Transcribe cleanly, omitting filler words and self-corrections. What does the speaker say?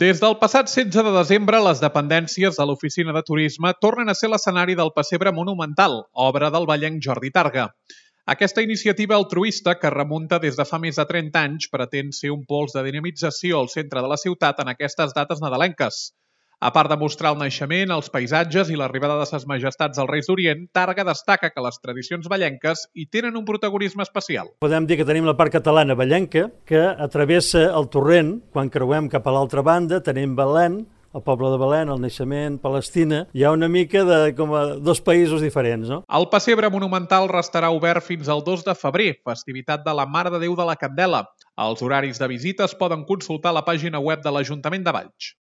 Des del passat 16 de desembre, les dependències de l'Oficina de Turisme tornen a ser l'escenari del Pessebre Monumental, obra del vallenc Jordi Targa. Aquesta iniciativa altruista, que remunta des de fa més de 30 anys, pretén ser un pols de dinamització al centre de la ciutat en aquestes dates nadalenques. A part de mostrar el naixement, els paisatges i l'arribada de ses majestats als Reis d'Orient, Targa destaca que les tradicions vallenques hi tenen un protagonisme especial. Podem dir que tenim la part catalana vallenca, que atravessa el torrent. Quan creuem cap a l'altra banda tenim Belén, el poble de Belén, el naixement, Palestina. Hi ha una mica de com a dos països diferents, no? El Pessebre Monumental restarà obert fins al 2 de febrer, festivitat de la Mare de Déu de la Candela. Els horaris de visita es poden consultar a la pàgina web de l'Ajuntament de Valls.